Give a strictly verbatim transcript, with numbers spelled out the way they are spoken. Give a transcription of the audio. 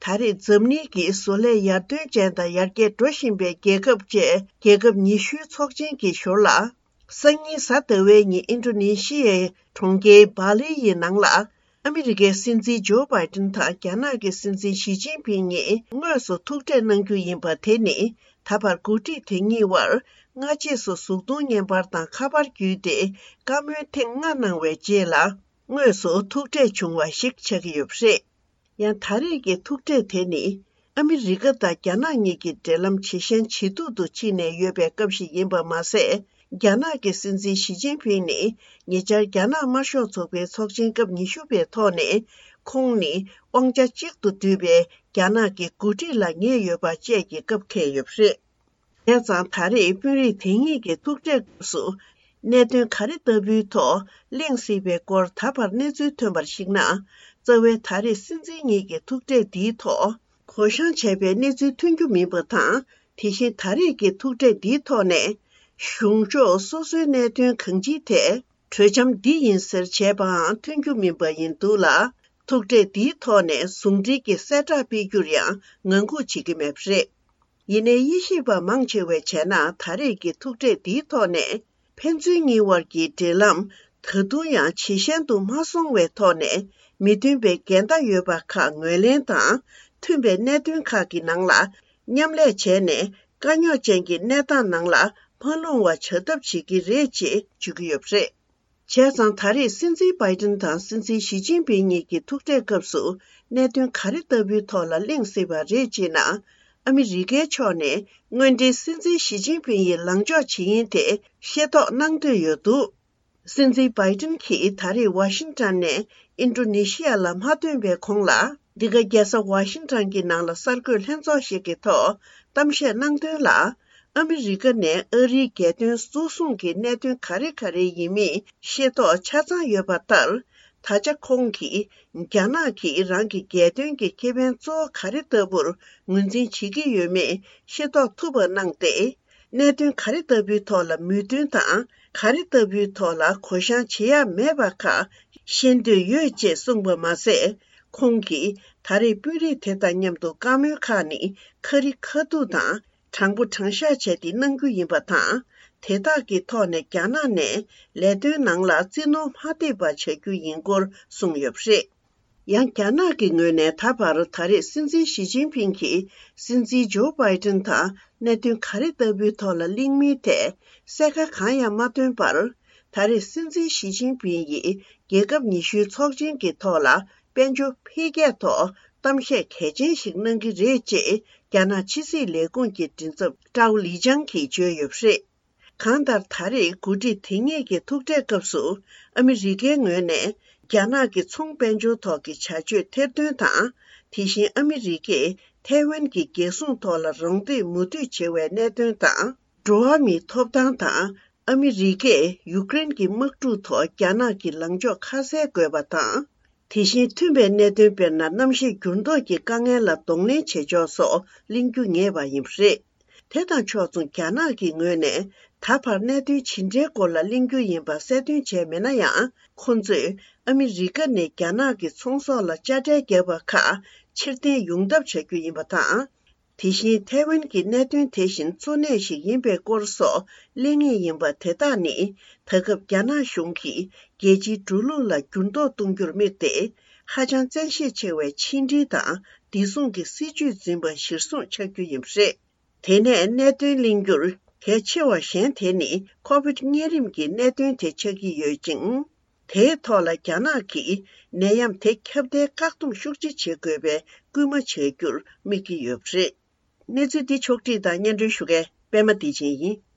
ད་རེས་འཛམ་གླིང་གི་བཟོ་ལས་ཡར་ཐོན་ཅན་དང་ཡར་རྒྱས་འགྲོ་བཞིན་པའི་རྒྱལ་ཁབ་བཅས་རྒྱལ་ཁབ་ཉི་ཤུའི་ཚོགས་ཆེན་གྱི་ཞོར་ལ། སང་ཉིན་གཟའ་ཟླ་བའི་ཉིན་ཨིན་ཌོ་ནེ་ཤི་ཡའི་གྲོང་ཁྱེར་བྷ་ལི་ཡི་ནང་ལ། ཨ་མི་རི་ཀའི་སྲིད་འཛིན་ཇོ་བྷའི་ཏིན་དང་རྒྱ་ནག་གི་སྲིད་འཛིན་ཞི་ཅིན་ཕིང་གཉིས་དངོས་སུ་ཐུག་འཕྲད་གནང་རྒྱུ་ཡིན་པ་དེ་ནི། ད་བར་འགོ་ཁྲིད་དེ་གཉིས་དབར་སྔ་རྗེས་སུ་གཟུགས་མཐོང་བརྙན་པར་དང་ཁ་པར་བརྒྱུད་དེ་བཀའ་མོལ་ཐེངས་ལྔ་གནང་བའི་རྗེས་ལ། དངོས་སུ་ཐུག་འཕྲད་བྱུང་བ་ཞིག་ཆགས་ཀྱི་ཡོད་པ་རེད། ཡང་ད་རེས་ཀྱི་ཐུག་འཕྲད་དེ་ནི། ཨ་མི་རི་ཀ་དང་རྒྱ་ནག་གཉིས་ཀྱི་འབྲེལ་ལམ་ཇེ་ཞན་ཇེ་སྡུག་ཏུ་ཕྱིན་ནས་ཡོད་པའི་སྐབས་ཤིག་ཡིན་པ་མ་ཟད། རྒྱ་ནག་གི་སྲིད་འཛིན་ཞི་ཅིན་ཕིང་ནི་ཉེ་ཆར་རྒྱ་ནག་དམར་ཤོག་ཚོགས་པའི་ཚོགས་ཆེན་སྐབས་ཉི་ཤུ་པའི་ཐོག་ནས། ཁོང་ནི་དབང་ཆ་གཅིག་ཏུ་འདུས་པའི་རྒྱ་ནག་གི་འགོ་ཁྲིད་ལ་ངེས་ཡོད་པ་བཅས་ཀྱི་སྐབས་འཁེལ་ཡོད་པ་རེད། བྱས་ཙང་ད་རེས་དཔོན་རིགས་དེ་གཉིས་ཀྱི་ཐུག་འཕྲད་སྐབས་སུ། གནད་དོན་ག་རེ་ལྟ་བུའི་ཐོག་གླེང་སྲིད་པའི་སྐོར་ད་བར་གནས་ཚུལ་ཐོན་པར་གཞིགས་ན། རྩ་བའི་ད་རེས་སྲིད་འཛིན་གཉིས་ཀྱི་ཐུག་འཕྲད་འདིའི་ཐོག་གོ་བཤང་བྱས་པའི་གནས་ཚུལ་ཐོན་རྒྱུ་མིན་པ་དང་། དེ་བཞིན་ད་རེས་ཀྱི་ཐུག་འཕྲད་འདིའི་ཐོག་ནས། གཞུང་ཕྱོགས་སོ་སོའི་གནད་དོན་གང་ཅིའི་ཐད་གྲོས་འཆམ་འདི་ཡིན་ཟེར་བྱས་པའང་ཐོན་རྒྱུ་མིན་པ་ཡིན་འདུག་ལ། ཐུག་འཕྲད་འདིའི་ཐོག་ནས་ཟུང་འབྲེལ་གྱི་གསལ་བསྒྲགས་སྤེལ་རྒྱུར་ཡང་ངང་སྒུག་བྱེད་ཀྱི་མེད་པ་རེད། ཡིན་ནའི་དབྱེ་ཞིབ་པ་མང་ཆེ་བས་བྱས་ན། ད་རེས་ཀྱི་ཐུག་འཕྲད་འདིའི་ཐོག་ནས་ཕན་ཚུན་གཉིས་དབར་གྱི་འབྲེལ་ལམ་ད་དུང་ཡང་ཇེ་ཞན་དུ་མ་སོང་བའི་ཐོག་ནས། མི་མཐུན་པའི་འགལ་ཟླ་ཡོད་པ་ཁག་ངོས་ལེན་དང་། མཐུན་པའི་གནད་དོན་ཁག་གི་ནང་ལ་མཉམ་ལས་བྱས་ནས། དཀའ་རྙོག་ཅན་གྱི་གནས་སྟངས་ནང་ལ་མ་ལྷུང་བ་བྱ་ཐབས་བྱེད་ཀྱི་རེད་ཅེས་བརྗོད་ཀྱི་ཡོད་པ་རེད། བྱས་ཙང་ད་རེས་སྲིད་འཛིན་བྷའི་ཏིན་དང་སྲིད་འཛིན་ཞི་ཅིན་ཕིང་གཉིས་ཀྱི་ཐུག་འཕྲད་སྐབས་སུ་གནད་དོན་ག་རེ་ལྟ་བུའི་ཐོག་ལ་གླེང་སྲིད་པ་རེད་ཅེ་ན། ཨ་མི་རི་ཀའི་ཕྱོགས་ནས་དངོས་འབྲེལ་སྲིད་འཛིན་ཞི་ཅིན་ཕིང་ཡི་ལངས་ཕྱོགས་ཇི་ཡིན་དེ་ཤེས་རྟོགས་གནང་འདོད་ཡོད་འདུག་སྲིད་འཛིན་བྷའི་ཏིན་གྱིས་ད་རེས་ཝ་ཤིང་ཊོན་ནས་ཨིན་ཌོ་ནེ་ཤི་ཡ་ལ་མ་ཐོན་པའི་གོང་ལ། འདི་ག་རྒྱལ་ས་ཝ་ཤིང་ཊོན་གྱི་ནང་ལ་གསར་འགོད་ལྷན་ཚོགས་ཤིག་གི་ཐོག་གཏམ་བཤད་གནང་དོན་ལ། ཨ་མི་རི་ཀ་ནས་ཨ་རིའི་རྒྱལ་དོན་གཙོ་བཟུང་གི་གནད་དོན་ག་རེ་ག་རེ་ཡིན་མིན་ཤེས་རྟོགས་ཆ་ཚང་ཡོད་པ་ལྟར། ད་ཆ་ཁོང་གིས་རྒྱ་ནག་གིས་རང་གི་རྒྱལ་དོན་གྱི་ཁེ་ཕན་གཙོ་བོ་ག་རེ་ལྟ་བུར་ངོས་འཛིན་བྱེད་ཀྱི་ཡོད་མེད་ཤེས་རྟོགས་ཐུབ་པ་གནང་སྟེ། གནད་དོན་ག་རེ་ལྟ་བུའི་ཐོག་ལ་མོས་མཐུན་དང་། ག་རེ་ལྟ་བུའི་ཐོག་ལ་གོ་བཤང་བྱེད་ཡ་མེད་པ་ཁག་ཤེས་འདོད་ཡོད་ཅེས་གསུངས་པ་མ་ཟད། ཁོང་གིས་ད་རེས་དཔོན་རིགས་དེ་དང་མཉམ་དུ་བཀའ་མོལ་ཁག་ནི་ཁ་རི་ཁ་ཐུག་དང་། དྲང་པོ་དྲང་བཞག་བྱས་ཏེ་གནང་རྒྱུ་ཡིན་པ་དང་། དེ་དག་གི་ཐོག་ནས་རྒྱ་ནག་ནས་ལས་དོན་ནང་ལ་རྩིས་ནོར་མ་ཐེབས་པ་བྱ་རྒྱུ་ཡིན་སྐོར་གསུངས་ཡོད་པ་རེད། ཡང་རྒྱ་ནག་གི་ངོས་ནས་ད་བར་ད་རེས་སྲིད་འཛིན་ཞི་ཅིན་ཕིང་གིས་སྲིད་འཛིན་ཇོ་བྷའི་ཏིན་དང་གནད་དོན་ག་རེ་ལྟ་བུའི་ཐོག་ལ་གླེང་མིན་ཐད་གསལ་ཁ་གང་ཡང་མ་བཏོན་པར། ད་རེས་སྲིད་འཛིན་ཞི་ཅིན་ཕིང་ཡིས་རྒྱལ་ཁབ་ཉི་ཤུའི་ཚོགས་ཆེན་གྱི་ཐོག་ལ་དཔལ་འབྱོར་འཕེལ་རྒྱས་ཐོག་གཏམ་བཤད་གལ་ཆེན་ཞིག་གནང་གི་རེད་ཅེས་རྒྱ་ནག་ཕྱི་སྲིད་ལས་ཁུངས་ཀྱི་མགྲིན་ཚབ་ཀྲའོ་ལི་ཅང་གིས་བརྗོད་ཡོད་པ་རེད། གང་ལྟར་ད་རེས་འགོ་ཁྲིད་དེ་གཉིས་ཀྱི་ཐུག་འཕྲད་སྐབས་སུ། ཨ་མི་རི་ཀའི་ངོས་ནས་རྒྱ་ནག་གི་ཚོང་དཔལ་འབྱོར་ཐོག་གི་བྱ་སྤྱོད་ཐེར་འདོན་དང་། དེ་བཞིན་ཨ་མི་རི་ཀས་ཐའེ་ཝན་གྱི་རྒྱལ་སྲུང་ཐོག་ལ་རོགས་འདེགས་མུ་མཐུད་བྱེད་པའི་གནད་དོན་དང་། འགྲོ་བ་མིའི་ཐོབ་ཐང་དང་། ཨ་མི་རི་ཀས་ཡུཀ་རེན་གྱི་དམག་འཁྲུག་ཐོག་རྒྱ་ནག་གི་ལངས་ཕྱོགས་ཁ་གསལ་དགོས་པ་དང་། དེ་བཞིན་མཐུན་པའི་གནད་དོན། དཔེར་ན། གནམ་གཤིས་འགྱུར་ལྡོག་གི་དཀའ་ངལ་ལ་གདོང་ལེན་བྱེད་ཕྱོགས་སོགས་གླེང་རྒྱུ་ངེས་པ་ཡིན་པ་རེད། དེ་དང་ཕྱོགས་མཚུངས་རྒྱ་ནག་གི་ངོས་ནས་ད་བར་གནད་དོན་ཇི་འདྲའི་སྐོར་ལ་གླེང་རྒྱུ་ཡིན་པ་གསལ་སྟོན་བྱས་མེད་ན་ཡང་། ཁོ་ཚོས་ཨ་མི་རི་ཀ་ནས་རྒྱ་ནག་གི་ཚོང་ཟོག་ལ་དཔྱ་ཁྲལ་བརྒྱབ་པ་ཁག་ཕྱིར་འཐེན་ཡོང་ཐབས་བྱ་རྒྱུ་ཡིན་པ་དང་། དེ་བཞིན་ཐའེ་ཝན་གྱི་གནད་དོན་དེ་བཞིན་གཙོ་གནད་ཞིག་ཡིན་པའི་སྐོར་སོགས་གླེང་ངེས་ཡིན་པ། དེ་དག་ནི་ད་སྐབས་རྒྱ་ནག་གཞུང་གིས་རྒྱལ་སྤྱིའི་འགྲོ་ལུགས་ལ་འགྱུར་ལྡོག་གཏོང་རྒྱུར་དམིགས་ཏེ། ཧ་ཅང་བཙན་ཤེད་ཆེ་བའི་ཕྱི་འབྲེལ་དང་བདེ་སྲུང་གི་སྲིད་ཇུས་འཛིན་པ་གཞིར་བཟུང་ཆགས་རྒྱུ་ཡིན་པ་རེད། དེ་ནས་གནད་དོན་གླེང་རྒྱུར་གལ་ཆེ་བ་གཞན་དེ་ནི་ཁོ་བིད་གཉན་རིམས་ཀྱི་གནད་དོན་དེ་ཆགས་ཀྱི་ཡོད་ཅིང་། དེའི་ཐོག་ལ་རྒྱ་ནག་གིས་ནད་ཡམས་དེ་ཁྱབ་གདལ་བཀག་སྡོམ་ཤུགས་ཆེ་བྱེད་དགོས་པའི་སྐུལ་མ་བྱ་རྒྱུར་དམིགས་ཀྱི་ཡོད་པ་རེད། གནས་ཚུལ་འདི་ཕྱོགས་བསྒྲིགས་དང་སྙན་སྒྲོན་ཞུ་མཁན་པད་མ་བདེ་ཆེན་ཡིན།